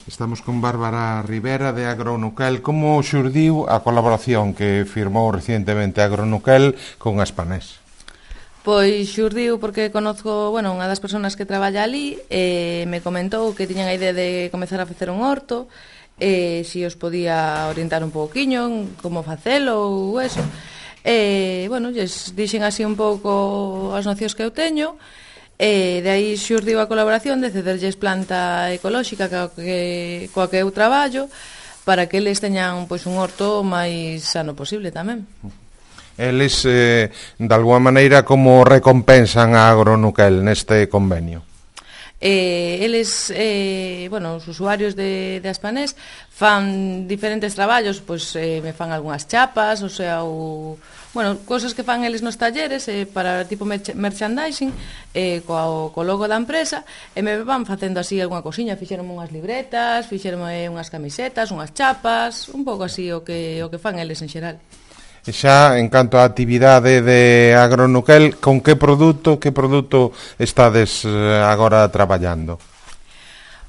Estamos con Bárbara Rivera de Agronuquel. Como xurdiu a colaboración que firmou recientemente Agronuquel con Aspanés? Pois xurdiu porque conozco, unha das persoas que traballa ali me comentou que tiñan a idea de comezar a facer un horto, si os podía orientar un pouquiño como facelo ou eso. Lles dixen así un pouco as nocións que eu teño. De aí xurdiu a colaboración de cederlles planta ecolóxica coa que eu traballo para que eles teñan un horto máis sano posible tamén. Eles, de alguma maneira, como recompensan a Agronuquel neste convenio? Eles, os usuarios de Aspanés fan diferentes traballos, me fan algunhas chapas, cosas que fan eles nos talleres para tipo merchandising co logo da empresa, e me van facendo así algunha cosiña, fixeronme unhas libretas, fixeronme unhas camisetas, unhas chapas, un pouco así o que fan eles en xeral. E xa, en canto á actividade de Agronuquel, con que produto estades agora traballando?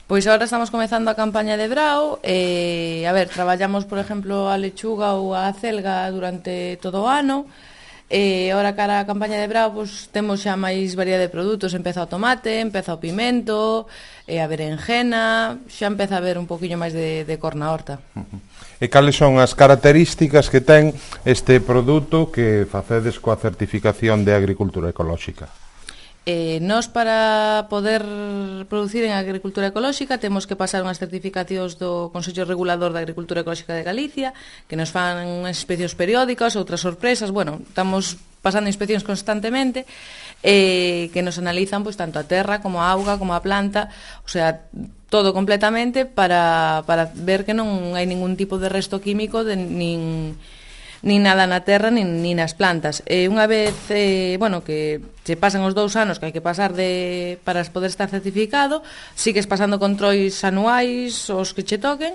Pois agora estamos comezando a campaña de brao. Traballamos, por exemplo, a lechuga ou a acelga durante todo o ano. Ahora cara a campaña de brao temos xa máis variedade de produtos. Empeza o tomate, empeza o pimento, a berenjena, xa empeza a haber un poquinho máis de cor na horta. E cales son as características que ten este produto que facedes coa certificación de agricultura ecolóxica? Nós, para poder producir en agricultura ecolóxica, temos que pasar unhas certificacións do Consello Regulador da Agricultura Ecolóxica de Galicia, que nos fan unhas inspeccións periódicas, outras sorpresas. Estamos pasando inspeccións constantemente, que nos analizan tanto a terra como a auga como a planta, todo completamente para ver que non hai ningún tipo de resto químico nin nada na terra nin nas plantas. Unha vez que se pasan os 2 anos que hai que pasar para poder estar certificado, sigues pasando controis anuais os que che toquen,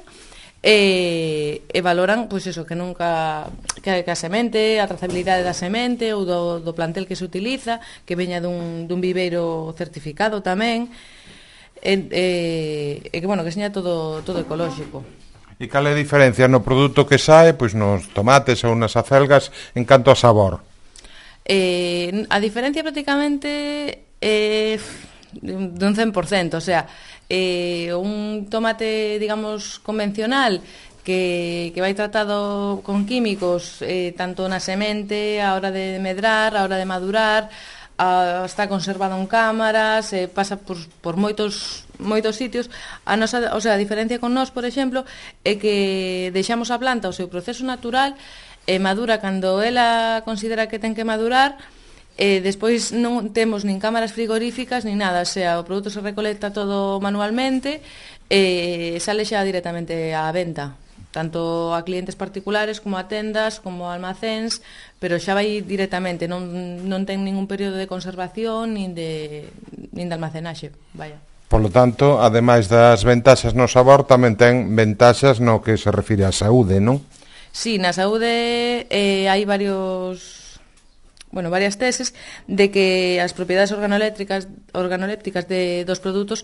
e valoran que nunca que a semente, a trazabilidade da semente ou do plantel que se utiliza, que veña dun viveiro certificado tamén, que seña todo ecolóxico. E cal é a diferencia no produto que sae, nos tomates ou nas acelgas, en canto a sabor? A diferencia prácticamente dun 100%, un tomate, digamos, convencional que vai tratado con químicos, tanto na semente, a hora de medrar, a hora de madurar, está conservado en cámaras, pasa por moitos sitios. A diferencia con nós, por exemplo, é que deixamos a planta o seu proceso natural e madura cando ela considera que ten que madurar. Despois non temos nin cámaras frigoríficas nin nada, o produto se recolecta todo manualmente e sale xa directamente á venta, tanto a clientes particulares como a tendas, como a almacéns, pero xa vai directamente, non ten ningún período de conservación nin de almacenaxe, vaya. Por lo tanto, ademais das ventaxas no sabor, tamén ten ventaxas no que se refire á saúde, non? Sí, na saúde hai varias teses de que as propiedades organolépticas dos produtos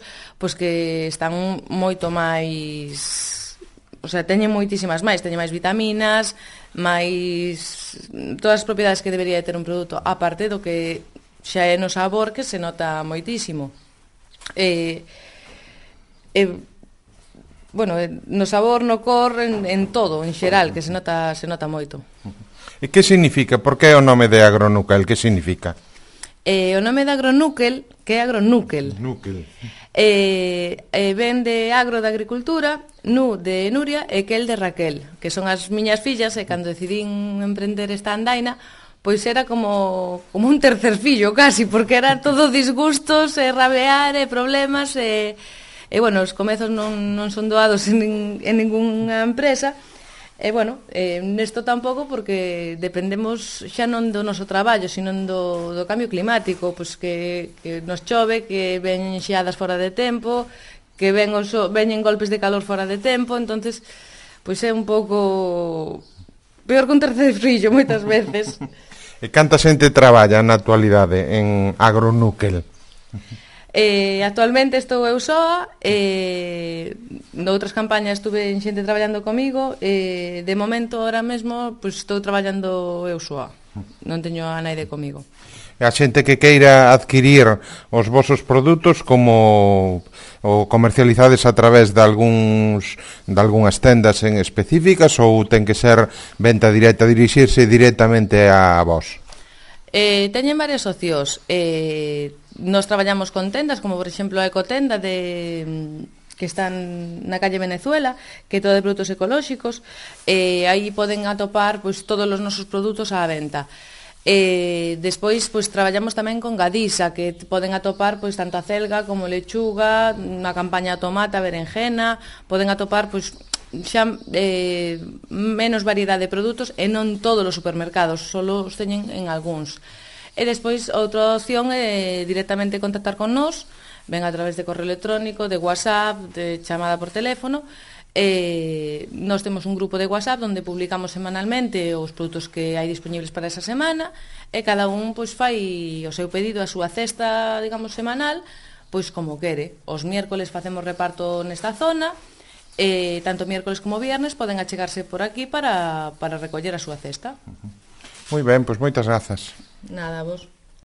que están moito máis, teñen moitísimas máis, teñen máis vitaminas, máis todas as propiedades que debería ter un produto, aparte do que xa é no sabor, que se nota moitísimo. No sabor, no cor, en todo, en xeral, que se nota moito. E que significa? Por que o nome de Agronuquel? Que significa? O nome de Agronuquel, que é Agronúquel, ven de agro de agricultura, nu de Nuria e quel de Raquel, que son as miñas fillas, e cando decidín emprender esta andaina, pois era como un tercer fillo casi, porque era todo disgustos e rabear e problemas os comezos non son doados en ningunha empresa. Nesto tampouco, porque dependemos xa non do noso traballo, sino do cambio climático, que nos chove, que veñen xeadas fora de tempo, que veñen golpes de calor fora de tempo, entonces é un pouco peor que un tercer fillo moitas veces. E canta xente traballa na actualidade en Agronuquel? Actualmente estou eu soa, noutras campañas estuve en xente traballando comigo, de momento, ahora mesmo, pois estou traballando eu soa, non teño a naide comigo. E a xente que queira adquirir os vosos produtos, como o comercializades a través de algunhas tendas en específicas, ou ten que ser venta directa, dirixirse directamente a vos? Teñen varias opcións. Nos traballamos con tendas, como por exemplo a Ecotenda que están na calle Venezuela, que é todo de produtos ecolóxicos. Aí poden atopar pois todos os nosos produtos á venta. Despois pois traballamos tamén con Gadisa, que poden atopar pois tanto a celga como lechuga, na campaña tomate, berenjena, poden atopar pois xa menos variedade de produtos e non todos os supermercados, só os teñen en algúns. E despois outra opción é directamente contactar con nós, ven a través de correo electrónico, de WhatsApp, de chamada por teléfono. Nós temos un grupo de WhatsApp onde publicamos semanalmente os produtos que hai disponibles para esa semana e cada un pois fai o seu pedido, a súa cesta, digamos, semanal, pois como quere. Os miércoles facemos reparto nesta zona, tanto miércoles como viernes poden achegarse por aquí para recoller a súa cesta. Moi ben, pois moitas grazas. Nada, vos.